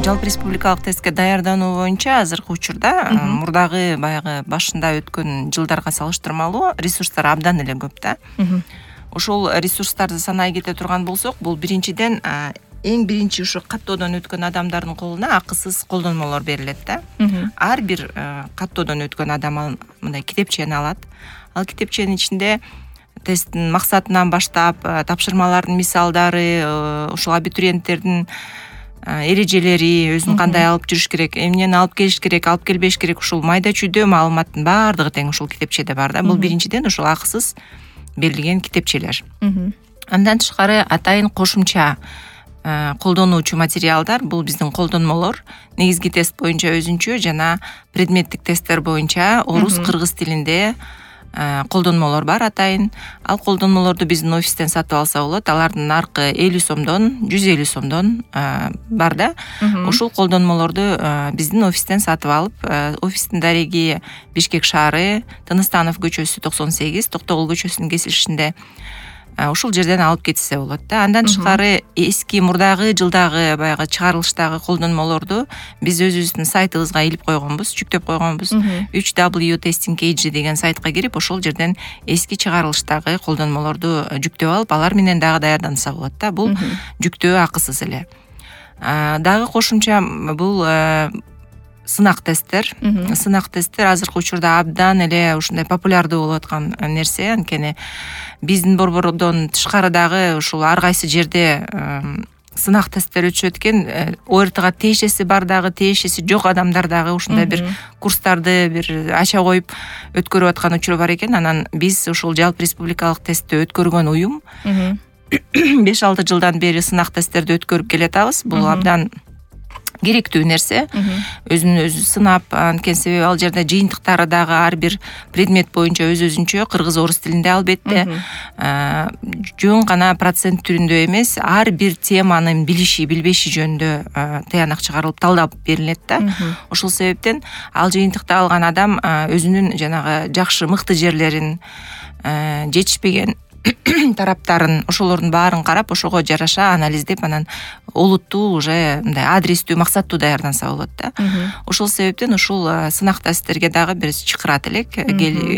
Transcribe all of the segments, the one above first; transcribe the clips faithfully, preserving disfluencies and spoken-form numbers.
жалпы республикалык тестке даярдануу боюнча азыркы учурда мурдагы баягы башында өткөн жылдарга салыштырмалуу ресурстар абдан эле көп да. Ошол ресурстарды санай кете турган болсок, бул биринчиден эң биринчи ушу каттоодон өткөн адамдардын колуна акысыз колдонмолор берилет да. Ар бир каттоодон өткөн адам мындай китепчени алат. Ал китепченин ичинде тесттин максатынан баштап, тапшырмалардын мисалдары, ушул абитуриенттердин эрежелери, өзүн кандай алып жүрүш керек, эмнени алып келиш керек, алып келбеш керек, ушул майда чүйдө маалыматтын баардыгы тең ушул китепчеде бар да. Бул биринчиден ушул акысыз берилген китепчелер. Андан тышкары атайын кошумча колдонуучу материалдар, бул биздин колдонмолор. Негизги тест боюнча өзүнчө жана предметтик тесттер боюнча орус, кыргыз тилинде колдонмолор бар атайын. Ал колдонмолорду биздин офистен сатып алса болот. Алардын наркы элүү сомдон жүз элүү сомдон бар да. Ушул колдонмолорду биздин офистен сатып алып, офистин дареги Бишкек шаары, Тыныстанов көчөсү токсон сегиз, Токтогул көчөсүнүн кесилишинде ушул жерден алып кетсе болот да. Андан тышкары эски мурдагы жылдагы баягы чыгарылыштагы колдонмолорду биз өзүбүздүн сайтыбызга илип койгонбуз, жүктөп койгонбуз. үч дабл ю testing k g деген сайтка кирип, ошол жерден эски чыгарылыштагы колдонмолорду жүктөп алып, алар менен дагы даярданса болот да. Бул жүктөө акысыз эле. Дагы кошумча бул сынак тесттер. Сынак тесттер азыркы учурда абдан эле ушундай популярдуу болуп аткан нерсе. Анткени биздин борбордон тышкары дагы ушул ар кайсы жерде сынак тесттер өтүшөт экен. о эр тга тиешеси бар дагы, тиешеси жок адамдар дагы ушундай бир курстарды бир ача коюп өткөрүп аткан учуру бар экен. Анан биз ушул жалпы республикалык тестти өткөргөн уюм беш алты жылдан бери сынак тесттерди өткөрүп келатабыз. Бул абдан керектүү нерсе. Өзүн өзү сынап, анткени себеби ал жерде жыйынтыктары дагы ар бир предмет боюнча өз-өзүнчө кыргыз, орус тилинде албетте. Жөн гана процент түрүндө эмес, ар бир теманын билиши, билбеши жөнүндө таянак чыгарылып, талдап берилет да. Ошол себептен ал жыйынтыкты алган адам өзүнүн жанагы жакшы, мыкты жерлерин, жетишпеген тараптарын, ошолордун баарын карап, ошого жараша анализдеп, анан олуттуу уже мындай адрестүү, максаттуу даярданса болот да. Ошол себептен ушул сынак тесттерге дагы бир чакырат элек.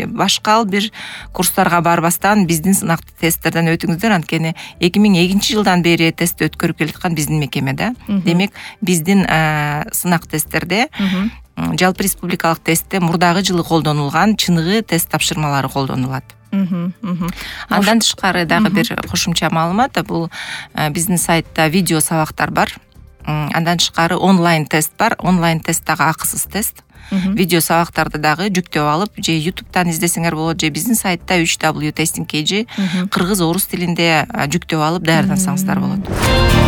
Башка бир курстарга барбастан биздин сынак тесттерден өтүңүздөр, анткени эки миң экинчи жылдан бери тест өткөрүп келаткан биздин мекеме да. Демек, биздин сынак тесттерде жалпы республикалык тестте мурдагы жылы колдонулган чыныгы тест тапшырмалары колдонулат. Андан тышкары дагы бир кошумча маалымат, бул биздин сайтта видео сабактар бар. Андан тышкары онлайн тест бар. Онлайн тест дагы акысыз тест. Видео сабактарды дагы жүктөп алып, же ютубтан издесеңер болот, же биздин сайтта үч дабл ю testing k g кыргыз, орус тилинде жүктөп алып даярдансаңыздар болот.